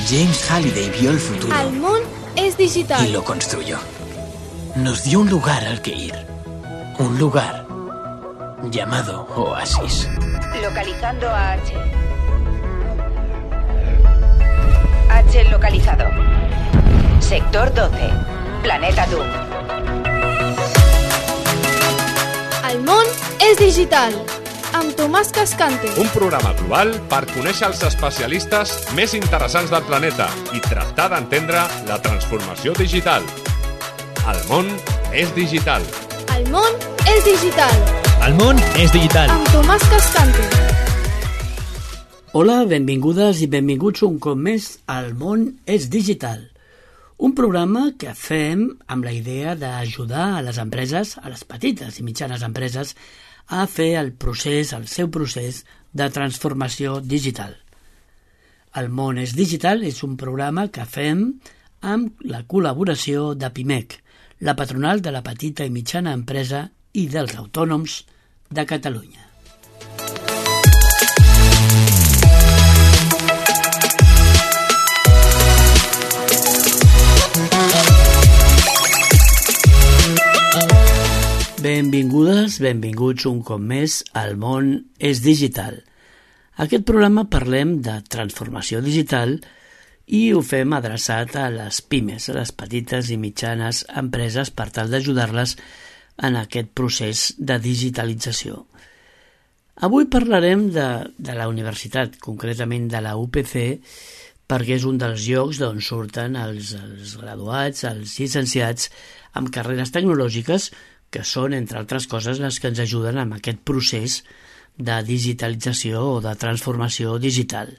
James Halliday vio el futuro. El món es digital. Y lo construyó. Nos dio un lugar al que ir. Un lugar llamado Oasis. Localizando a H. H localizado. Sector 12. Planeta Doom. El món és digital. Amb Tomàs Cascante. Un programa global per conèixer els especialistes més interessants del planeta i tractar d'entendre la transformació digital. El món és digital. El món és digital. El món és digital. Amb Tomàs Cascante. Hola, benvingudes i benvinguts un cop més al món és digital. Un programa que fem amb la idea d'ajudar a les empreses, a les petites i mitjanes empreses, a fer el seu procés de transformació digital. El món és digital és un programa que fem amb la col·laboració de PIMEC, la patronal de la petita i mitjana empresa i dels autònoms de Catalunya. Benvingudes, benvinguts un cop més al món és digital. Aquest programa parlem de transformació digital i ho fem adreçat a les pimes, a les petites i mitjanes empreses per tal d'ajudar-les en aquest procés de digitalització. Avui parlarem de la universitat, concretament de la UPC, perquè és un dels llocs d'on surten els graduats, els llicenciats amb carreres tecnològiques que són, entre altres coses, les que ens ajuden amb aquest procés de digitalització o de transformació digital.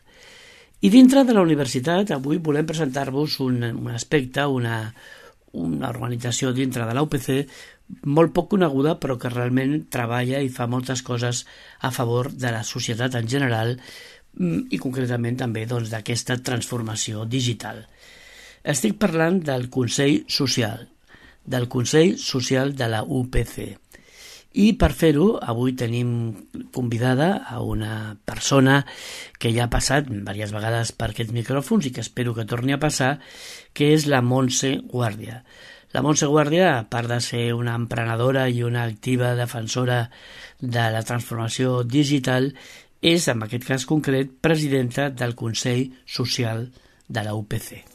I dintre de la universitat, avui volem presentar-vos un aspecte, una organització dintre de la UPC molt poc coneguda, però que realment treballa i fa moltes coses a favor de la societat en general i concretament també d'aquesta transformació digital. Estic parlant del Consell Social, de la UPC. I per fer-ho, avui tenim convidada a una persona que ja ha passat diverses vegades per aquests micròfons i que espero que torni a passar, que és la Montse Guàrdia. La Montse Guàrdia, a part de ser una emprenedora i una activa defensora de la transformació digital, és, en aquest cas concret, presidenta del Consell Social de la UPC.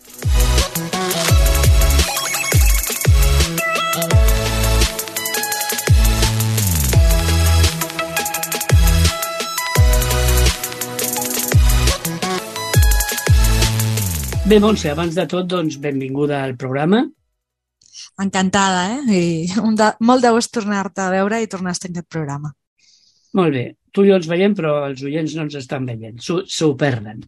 Bé, Montse, abans de tot, benvinguda al programa. Encantada, I molt de gust tornar-te a veure i tornar a estar en aquest programa. Molt bé. Tu i jo ens veiem, però els oients no ens estan veient. S'ho perden.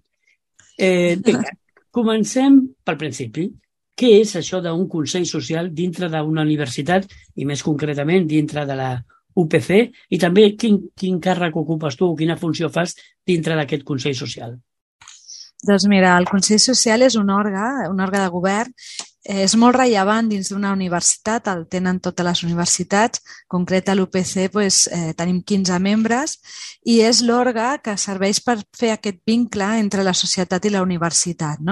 Vinga, comencem pel principi. Què és això d'un consell social dintre d'una universitat i, més concretament, dintre de la UPC? I també quin càrrec ocupes tu o quina funció fas dintre d'aquest consell social? Doncs mira, el Consell Social és un òrgan de govern, és molt rellevant dins d'una universitat, el tenen totes les universitats, en concret a l'UPC tenim 15 membres i és l'òrgan que serveix per fer aquest vincle entre la societat i la universitat.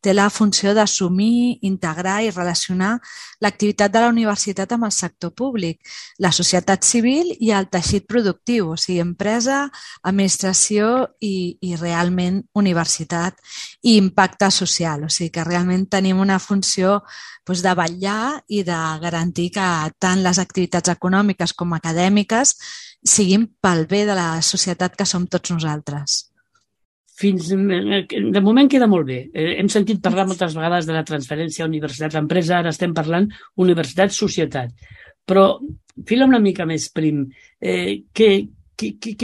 Té la funció d'assumir, integrar i relacionar l'activitat de la universitat amb el sector públic, la societat civil i el teixit productiu, o sigui, empresa, administració i realment universitat i impacte social. O sigui que realment tenim una funció de vetllar i de garantir que tant les activitats econòmiques com acadèmiques siguin pel bé de la societat que som tots nosaltres. De moment queda molt bé. Hem sentit parlar moltes vegades de la transferència universitat-empresa, ara estem parlant universitat-societat. Però fila una mica més prim. Què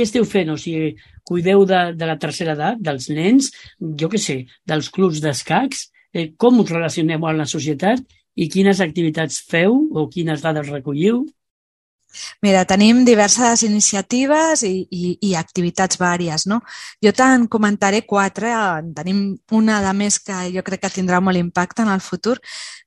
esteu fent? O sigui, cuideu de la tercera edat, dels nens, jo què sé, dels clubs d'escacs? Com us relacioneu amb la societat i quines activitats feu o quines dades recolliu? Mira, tenim diverses iniciatives i activitats vàries, no? Jo te'n comentaré 4, tenim una de més que jo crec que tindrà molt impacte en el futur.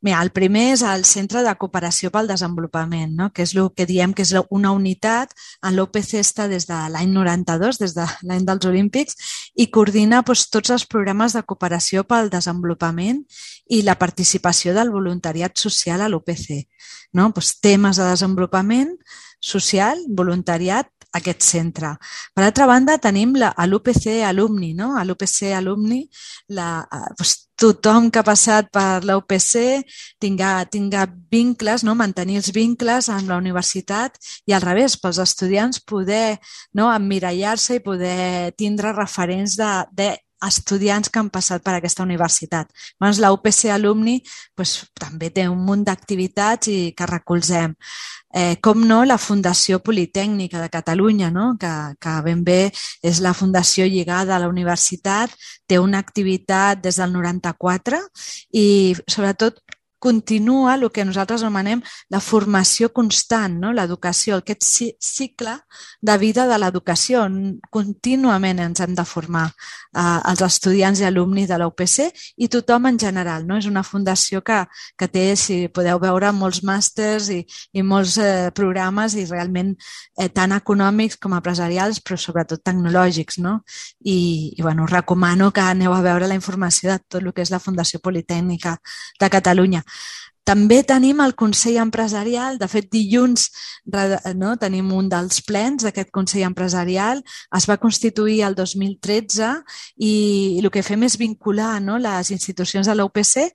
Mira, el primer és el Centre de Cooperació pel Desenvolupament, no? Que és el que diem que és una unitat en l'OPC està des de l'any 92, des de l'any dels Olímpics, i coordina tots els programes de cooperació pel desenvolupament i la participació del voluntariat social a l'OPC. No? Temes de desenvolupament social, voluntariat, aquest centre. Per altra banda, tenim l'UPC Alumni. No? A l'UPC Alumni, tothom que ha passat per l'UPC tinga vincles, no? Mantenir els vincles amb la universitat i al revés, pels estudiants poder emmirallar-se i poder tindre referents de estudiants que han passat per aquesta universitat. Llavors, la UPC Alumni també té un munt d'activitats i que recolzem. Com no, la Fundació Politècnica de Catalunya, no? que ben bé és la fundació lligada a la universitat, té una activitat des del 94 i sobretot continua el que nosaltres anomenem la formació constant, no? L'educació, aquest cicle de vida de l'educació. Contínuament ens hem de formar els estudiants i alumnis de la UPC i tothom en general. No? És una fundació que té, si podeu veure, molts màsters i molts programes i realment tant econòmics com empresarials, però sobretot tecnològics. No? I us recomano que aneu a veure la informació de tot el que és la Fundació Politècnica de Catalunya. També tenim el Consell Empresarial. De fet, dilluns tenim un dels plens d'aquest Consell Empresarial. Es va constituir el 2013 i el que fem és vincular les institucions de l'UPC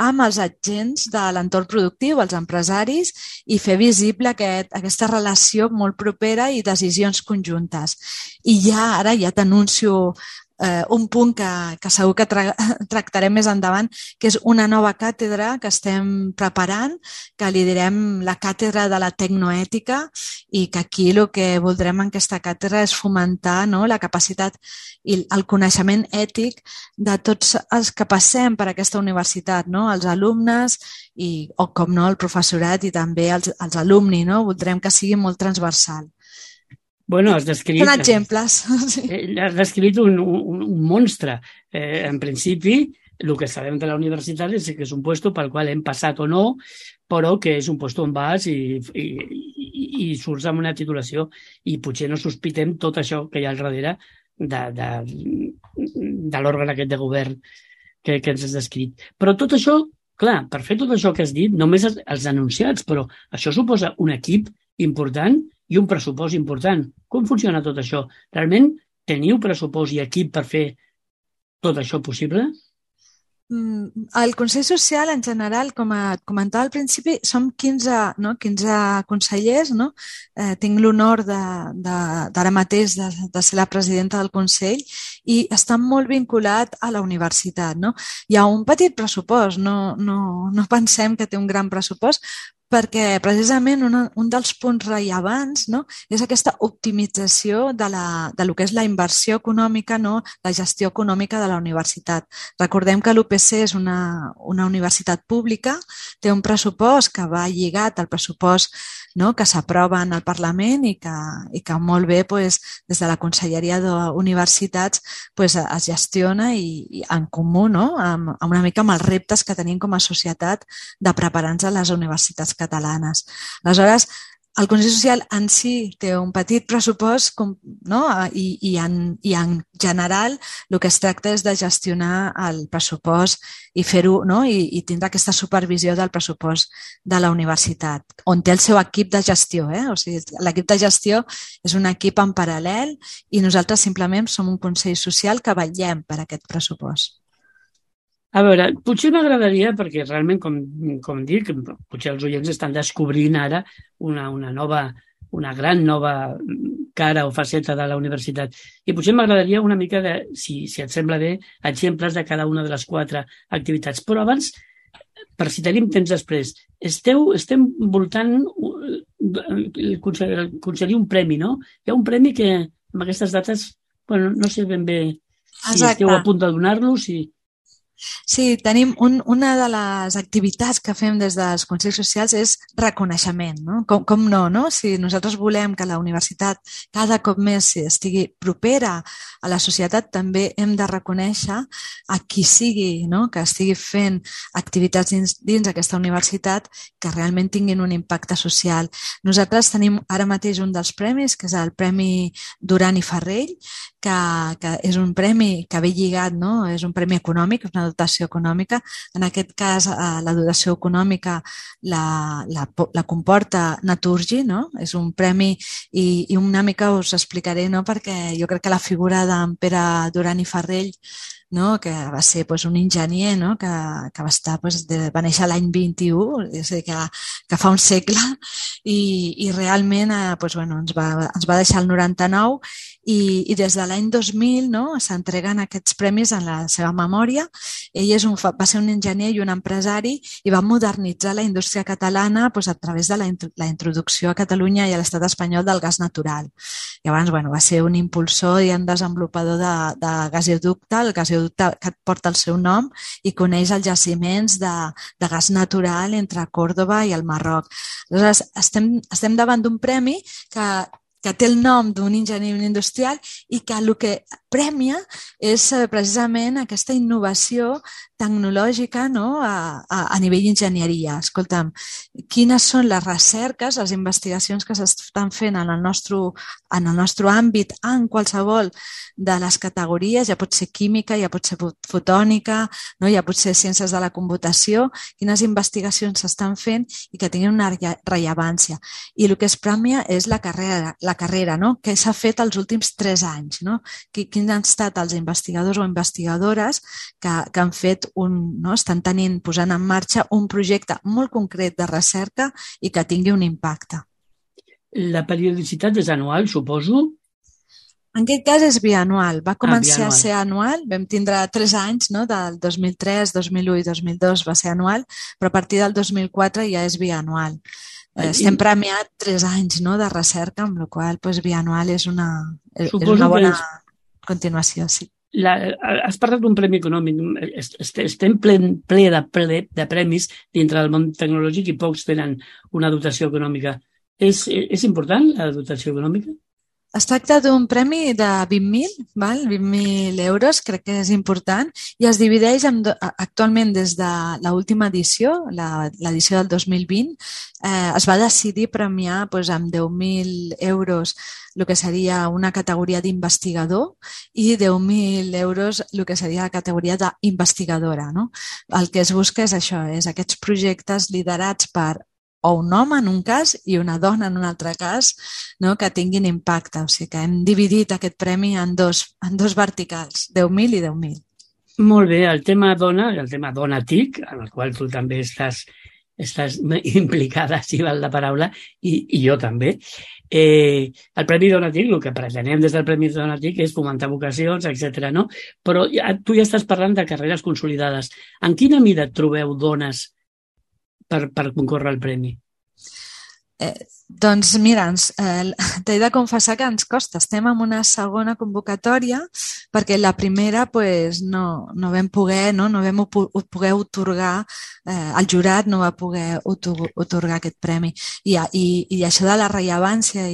amb els agents de l'entorn productiu, els empresaris, i fer visible aquesta relació molt propera i decisions conjuntes. I ara ja t'anuncio un punt que segur que tractarem més endavant, que és una nova càtedra que estem preparant, que li direm la càtedra de la tecnoètica i que aquí el que voldrem en aquesta càtedra és fomentar la capacitat i el coneixement ètic de tots els que passem per aquesta universitat, els alumnes o, com no, el professorat i també els alumni. Voldrem que sigui molt transversal. Bueno, has descrit... Són exemples. Has descrit un monstre. En principi, el que sabem de la universitat és que és un lloc pel qual hem passat o no, però que és un lloc on vas i surts amb una titulació i potser no sospitem tot això que hi ha al darrere de l'òrgan aquest de govern que ens has descrit. Però tot això, clar, per fer tot això que has dit, només els anunciats, però això suposa un equip important i un pressupost important. Com funciona tot això? Realment teniu pressupost i equip per fer tot això possible? El Consell Social, en general, com comentava al principi, som 15 consellers. Tinc l'honor d'ara mateix de ser la presidenta del Consell i està molt vinculat a la universitat. Hi ha un petit pressupost, no pensem que té un gran pressupost, perquè precisament un dels punts rellevants és aquesta optimització de lo que és la inversió econòmica, la gestió econòmica de la universitat. Recordem que l'UPC és una universitat pública, té un pressupost que va lligat al pressupost que s'aprova en el Parlament i que molt bé des de la Conselleria d'Universitats es gestiona i en comú, una mica amb els reptes que tenim com a societat de preparar-nos a les universitats catalanes. Aleshores, el Consell Social en si té un petit pressupost i en general el que es tracta és de gestionar el pressupost i fer-ho i tindre aquesta supervisió del pressupost de la universitat, on té el seu equip de gestió. O sigui, l'equip de gestió és un equip en paral·lel i nosaltres simplement som un Consell Social que vetllem per aquest pressupost. A veure, potser m'agradaria, perquè realment, com dic, potser els oients estan descobrint ara una gran nova cara o faceta de la universitat. I potser m'agradaria una mica si et sembla bé, exemples de cada una de les 4 activitats. Però abans, per si tenim temps després, estem voltant concedir un premi, no? Hi ha un premi que amb aquestes dates, no sé ben bé si esteu a punt de donar-lo, si... Sí, tenim una de les activitats que fem des dels Consells Socials és reconeixement, no? Com no, no? Si nosaltres volem que la universitat cada cop més estigui propera a la societat, també hem de reconèixer a qui sigui, no? Que estigui fent activitats dins aquesta universitat que realment tinguin un impacte social. Nosaltres tenim ara mateix un dels premis, que és el Premi Duran i Farrell, que és un premi que ve lligat, no? És un premi econòmic, una dotació econòmica. En aquest cas, la dotació econòmica la comporta Naturgy, no? És un premi i una mica us explicaré, no? Perquè jo crec que la figura d'en Pere Duran i Farrell, no? Que va ser un enginyer, no? Que va néixer l'any 21, és a dir, que fa un segle, i realment ens va deixar el 99 i des de l'any 2000, no? S'entreguen aquests premis en la seva memòria. Ell va ser un enginyer i un empresari i va modernitzar la indústria catalana a través de la introducció a Catalunya i a l'estat espanyol del gas natural. Llavors, va ser un impulsor i un desenvolupador de gasoducte, el gasoducte que porta el seu nom i coneix els jaciments de gas natural entre Còrdova i el Marroc. Aleshores, estem davant d'un premi que té el nom d'un enginyer industrial i que el que premia és precisament aquesta innovació tecnològica, no? A nivell d'enginyeria. Escolta'm, quines són les recerques, les investigacions que s'estan fent en el nostre àmbit, en qualsevol de les categories, ja pot ser química, ja pot ser fotònica, no? Ja pot ser ciències de la computació, quines investigacions s'estan fent i que tinguin una rellevància. I el que es premia és la carrera, no? Que s'ha fet els últims 3 anys, no? Quins han estat els investigadors o investigadores que han fet estan posant en marxa un projecte molt concret de recerca i que tingui un impacte. La periodicitat és anual, suposo? En aquest cas és bianual. Va començar a ser anual. Vam tindre 3 anys, no? Del 2003, 2001 i 2002 va ser anual, però a partir del 2004 ja és bianual. Estem premiat 3 anys, no? De recerca, amb la qual cosa bianual és una bona continuació, sí. Has parlat d'un premi econòmic. Estem ple de premis dintre del món tecnològic i pocs tenen una dotació econòmica. És important la dotació econòmica? Es tracta d'un premi de 20.000 euros, crec que és important, i es divideix actualment des de l'última edició, l'edició del 2020, es va decidir premiar amb 10.000 euros el que seria una categoria d'investigador i 10.000 euros el que seria la categoria d'investigadora, no? El que es busca és això, és aquests projectes liderats per o un home en un cas i una dona en un altre cas, no? Que tinguin impacte. O sigui que hem dividit aquest premi en dos verticals, 10.000 i 10.000. Molt bé, el tema dona, el tema dona TIC, en el qual tu també estàs implicada, si val la paraula, i jo també. El Premi Dona TIC, el que pretenem des del Premi Dona TIC és fomentar vocacions, etc. no? Però tu ja estàs parlant de carreres consolidades. En quina mida trobeu dones per concórrer al premi? Doncs mira, t'he de confessar que ens costa. Estem en una segona convocatòria perquè la primera no vam poder otorgar, el jurat no va poder otorgar aquest premi. I això de la rellevància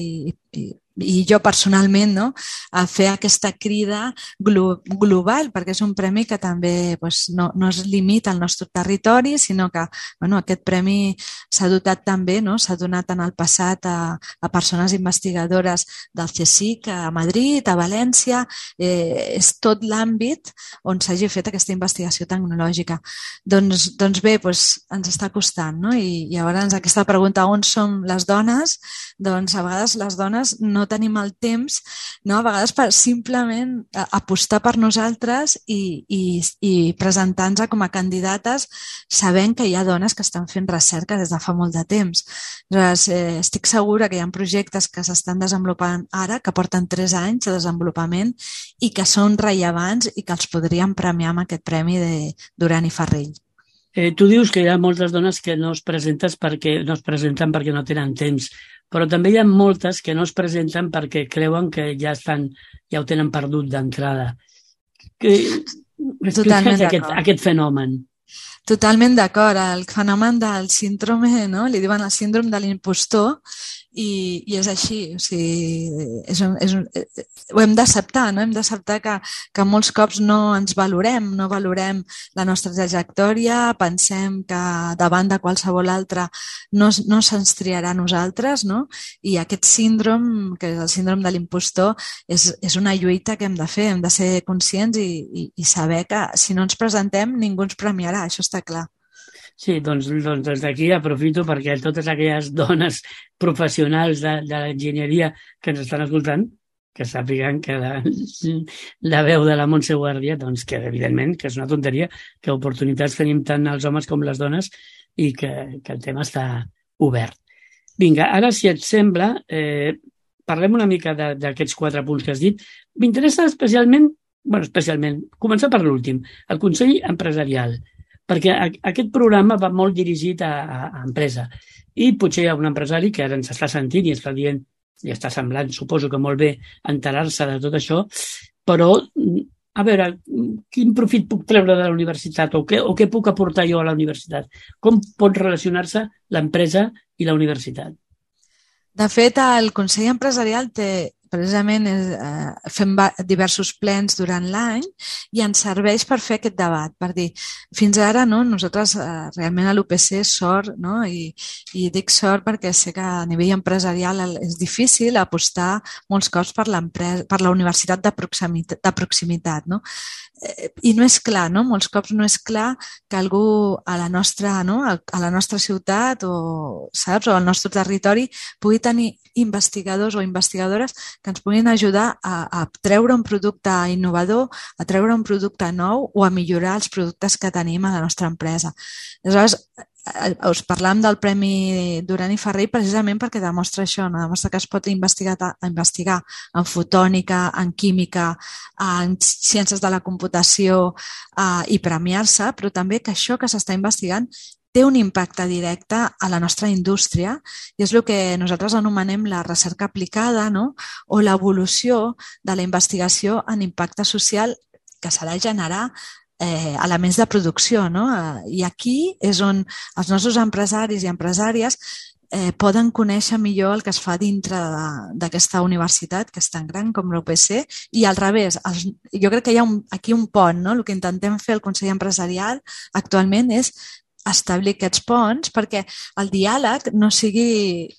i jo personalment, no? A fer aquesta crida global, perquè és un premi que també no es limita al nostre territori, sinó que aquest premi s'ha dotat també, no? S'ha donat en el passat a persones investigadores del CSIC, a Madrid, a València. És tot l'àmbit on s'hagi fet aquesta investigació tecnològica. Doncs bé, ens està costant, no? I llavors aquesta pregunta, on som les dones? Doncs a vegades les dones no tenim el temps, no? A vegades per simplement apostar per nosaltres i presentar-nos com a candidates sabent que hi ha dones que estan fent recerca des de fa molt de temps. Llavors, estic segura que hi ha projectes que s'estan desenvolupant ara, que porten 3 anys de desenvolupament i que són rellevants i que els podríem premiar amb aquest premi de Duran i Farrell. Tu dius que hi ha moltes dones que no es presenten perquè no tenen temps, però també hi ha moltes que no es presenten perquè creuen que ja ho tenen perdut d'entrada. Totalment Explica'ns d'acord. aquest fenomen. Totalment d'acord. El fenomen del síndrome, no? Li diuen el síndrome de l'impostor i és així. O sigui, ho hem d'acceptar, no? Hem d'acceptar que molts cops no ens valorem, no valorem la nostra trajectòria, pensem que davant de qualsevol altre no se'ns triarà a nosaltres, no? I aquest síndrome, que és el síndrome de l'impostor, és una lluita que hem de fer, hem de ser conscients i saber que si no ens presentem ningú ens premiarà, això està clar. Sí, doncs des d'aquí aprofito perquè totes aquelles dones professionals de l'enginyeria que ens estan escoltant, que sàpiguen que la veu de la Montse Guàrdia, doncs que evidentment que és una tonteria, que oportunitats tenim tant els homes com les dones i que el tema està obert. Vinga, ara si et sembla, parlem una mica d'aquests 4 punts que has dit. M'interessa especialment, començar per l'últim, el Consell Empresarial, perquè aquest programa va molt dirigit a empresa i potser hi ha un empresari que ara ens està sentint i està dient, i està semblant, suposo que molt bé, enterar-se de tot això, però, a veure, quin profit puc treure de la universitat o què puc aportar jo a la universitat? Com pot relacionar-se l'empresa i la universitat? De fet, el Consell Empresarial precisament fem diversos plens durant l'any i ens serveix per fer aquest debat, per dir, fins ara nosaltres realment a l'UPC sort, no? I dic sort perquè sé que a nivell empresarial és difícil apostar molts cops per la universitat de proximitat, no? I no és clar, no? Molts cops no és clar que algú a la nostra ciutat o al nostre territori pugui tenir investigadors o investigadores que ens puguin ajudar a treure un producte innovador, a treure un producte nou o a millorar els productes que tenim a la nostra empresa. Aleshores, us parlàvem del Premi Duran i Ferrer precisament perquè demostra això, no? Demostra que es pot investigar en fotònica, en química, en ciències de la computació i premiar-se, però també que això que s'està investigant té un impacte directe a la nostra indústria i és el que nosaltres anomenem la recerca aplicada, no? O l'evolució de la investigació en impacte social que s'ha de generar elements de producció, no? I aquí és on els nostres empresaris i empresàries poden conèixer millor el que es fa dintre d'aquesta universitat que és tan gran com l'UPC i al revés. Jo crec que hi ha aquí un pont, no? El que intentem fer al Consell Empresarial actualment és establir aquests ponts perquè el diàleg no sigui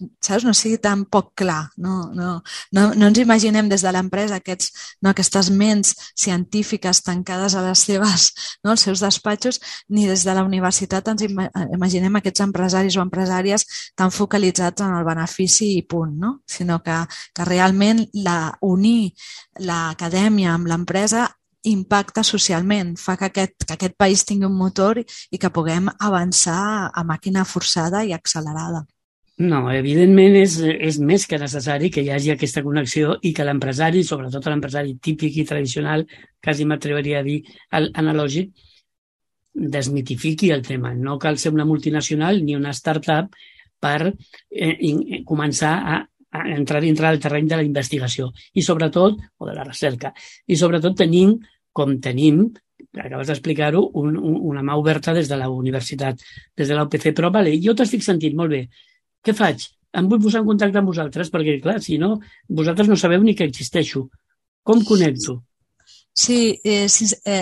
tan poc clar. No ens imaginem des de l'empresa aquestes ments científiques tancades a les seves, als seus despatxos, ni des de la universitat ens imaginem aquests empresaris o empresàries tan focalitzats en el benefici i punt, no? Sinó que realment unir l'acadèmia amb l'empresa impacta socialment, fa que aquest país tingui un motor i que puguem avançar a màquina forçada i accelerada. No, evidentment és més que necessari que hi hagi aquesta connexió i que l'empresari, sobretot l'empresari típic i tradicional, quasi m'atreviria a dir analògic, desmitifiqui el tema. No cal ser una multinacional ni una startup per començar a entrar dintre del terreny de la investigació i sobretot, o de la recerca, i sobretot tenim, acabes d'explicar-ho, una mà oberta des de la universitat, des de la UPC, però vale, jo t'estic sentint molt bé. Què faig? Em vull posar en contacte amb vosaltres perquè, clar, si no, vosaltres no sabeu ni que existeixo. Com connecto? Sí,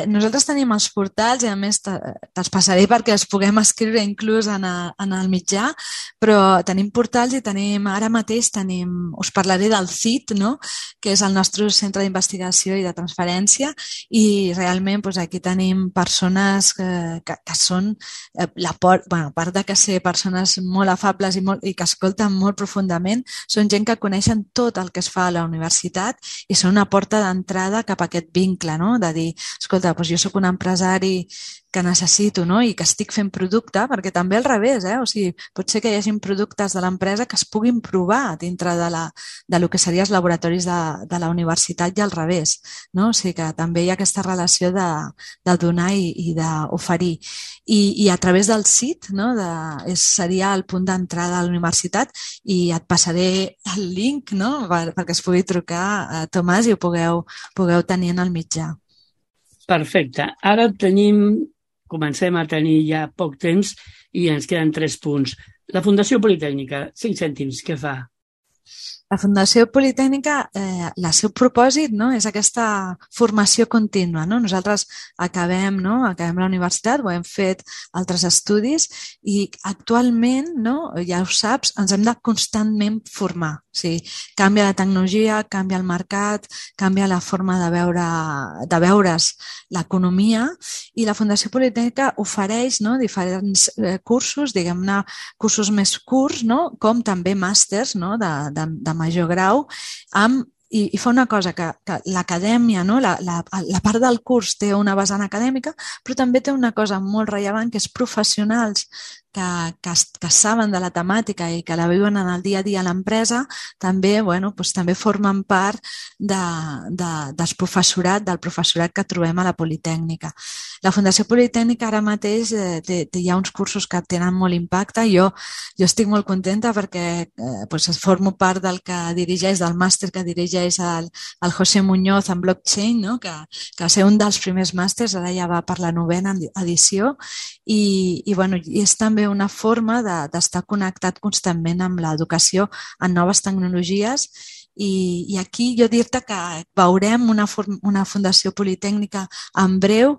nosaltres tenim els portals i a més te'ls passaré perquè els puguem escriure inclús en el mitjà, però tenim portals i ara mateix us parlaré del CIT, no? Que és el nostre centre d'investigació i de transferència i realment aquí tenim persones que són, a part de que ser persones molt afables i que escolten molt profundament, són gent que coneixen tot el que es fa a la universitat i són una porta d'entrada cap a aquest vincle, no? De dir, escolta, doncs jo soc un empresari que necessito, no? I que estic fent producte, perquè també al revés, o sigui, pot ser que hi hagi productes de l'empresa que es puguin provar dintre de lo que serien els laboratoris de la universitat i al revés, no? O sigui que també hi ha aquesta relació de donar i d'oferir. I a través del CIT, no? Seria el punt d'entrada a la universitat i et passaré el link, no? Perquè es pugui trucar a Tomàs i ho pugueu tenir en el mitjà. Perfecte. Ara comencem a tenir ja poc temps i ens queden 3 punts. La Fundació Politècnica, 5 cèntims, què fa? La Fundació Politècnica, el seu propòsit, no, és aquesta formació contínua. No? Nosaltres acabem la universitat, ho hem fet altres estudis i actualment, no, ja ho saps, ens hem de constantment formar. O sigui, canvia la tecnologia, canvia el mercat, canvia la forma de veure's l'economia i la Fundació Politècnica ofereix, no, diferents cursos, diguem-ne, cursos més curts, no, com també màsters, no, de major grau, i fa una cosa, que l'acadèmia, no? la part del curs té una vessant acadèmica, però també té una cosa molt rellevant, que és professionals que saben de la temàtica i que la viuen en el dia a dia a l'empresa, també, també formen part del professorat que trobem a la Politècnica. La Fundació Politècnica ara mateix hi ha uns cursos que tenen molt impacte. Jo estic molt contenta perquè formo part del màster que dirigeix el José Muñoz en blockchain, no? que va ser un dels primers màsters, ara ja va per la 9ª edició, i és també una forma d'estar connectat constantment amb l'educació en noves tecnologies. I aquí jo dir-te que veurem una Fundació Politècnica en breu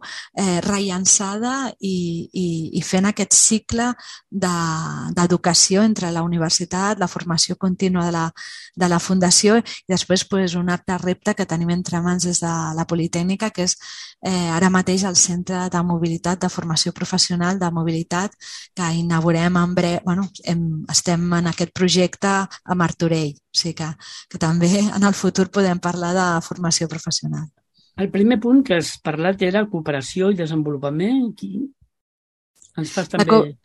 rellançada i fent aquest cicle d'educació entre la universitat, la formació contínua de la Fundació i després un altre repte que tenim entre mans des de la Politècnica, que és ara mateix el Centre de Mobilitat, de Formació Professional de Mobilitat, que inaugurem en breu. Estem en aquest projecte a Martorell, o sigui que també en el futur podem parlar de formació professional. El primer punt que has parlat era cooperació i desenvolupament. Ens fas també...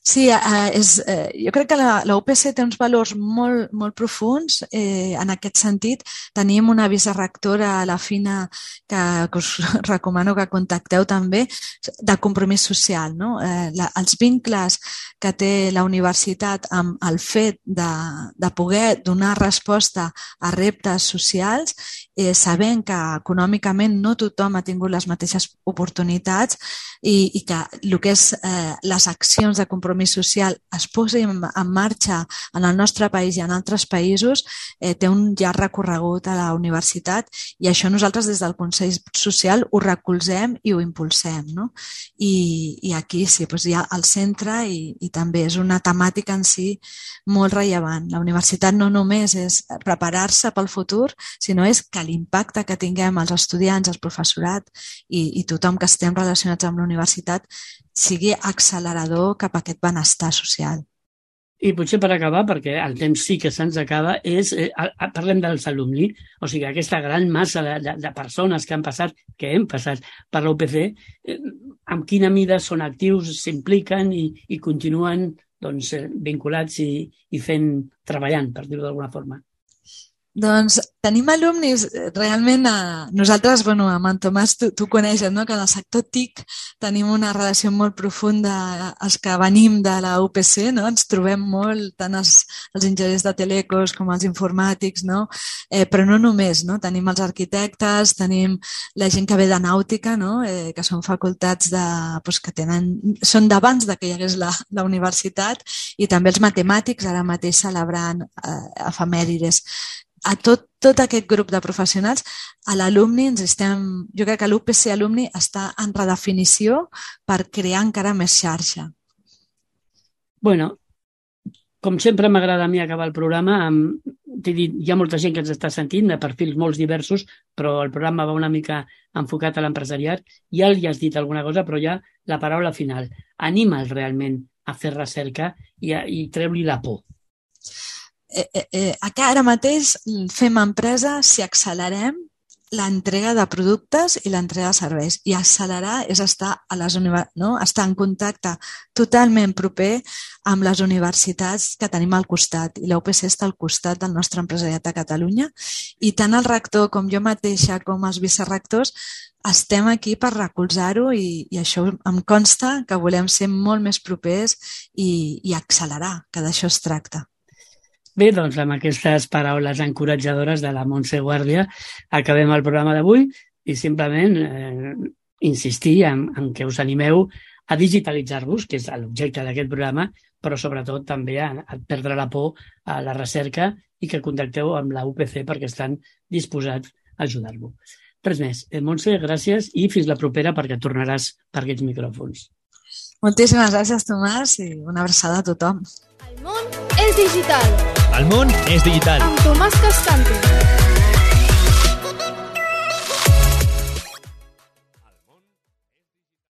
Sí, jo crec que la UPC té uns valors molt, molt profuns. En aquest sentit, tenim una vicerectora, la Fina, que us recomano que contacteu també, de compromís social. No? Els vincles que té la universitat amb el fet de poder donar resposta a reptes socials, sabent que econòmicament no tothom ha tingut les mateixes oportunitats i que el que és les accions de compromís social es posin en marxa en el nostre país i en altres països, té un llarg recorregut a la universitat i això nosaltres des del Consell Social ho recolzem i ho impulsem. No? I aquí sí, hi ha el centre i també és una temàtica en si molt rellevant. La universitat no només és preparar-se pel futur, sinó és que l'impacte que tinguem els estudiants, el professorat i tothom que estem relacionats amb la universitat sigui accelerador cap a aquest benestar social. I potser per acabar, perquè el temps sí que se'ns acaba, parlem dels alumni, o sigui, aquesta gran massa de persones que hem passat per la UPC, amb quina mida són actius, s'impliquen i continuen vinculats i treballant, per dir-ho d'alguna forma. Doncs tenim alumnis, realment nosaltres, amb en Tomàs, tu coneixes, no? Que en el sector TIC tenim una relació molt profunda, els que venim de la UPC, no? Ens trobem molt, tant els enginyers de telecos com els informàtics, no? Però no només, no? Tenim els arquitectes, tenim la gent que ve de nàutica, no? Que són facultats que són d'abans que hi hagués la universitat, i també els matemàtics, ara mateix celebrant efemèrides. A tot aquest grup de professionals, a l'alumni jo crec que l'UPC alumni està en redefinició per crear encara més xarxa. Bueno, com sempre m'agrada a mi acabar el programa, t'he dit, hi ha molta gent que ens està sentint, de perfils molt diversos, però el programa va una mica enfocat a l'empresariat. Ja li has dit alguna cosa, però ja la paraula final. Anima'ls realment a fer recerca i treu-li la por. Ara mateix fem empresa si accelerem l'entrega de productes i l'entrega de serveis. I accelerar és estar estar en contacte totalment proper amb les universitats que tenim al costat. I la UPC està al costat del nostre empresariat a Catalunya. I tant el rector com jo mateixa com els vicerectors estem aquí per recolzar-ho i això em consta que volem ser molt més propers i accelerar, que d'això es tracta. Bé, doncs amb aquestes paraules encoratjadores de la Montse Guàrdia acabem el programa d'avui i simplement insistir en que us animeu a digitalitzar-vos, que és l'objecte d'aquest programa, però sobretot també a perdre la por a la recerca i que contacteu amb la UPC perquè estan disposats a ajudar-vos. Res més. Montse, gràcies i fins la propera perquè tornaràs per aquests micròfons. Moltíssimes gràcies, Tomàs, i una abraçada a tothom. El món és digital. El món és digital. Amb Tomàs Cascante.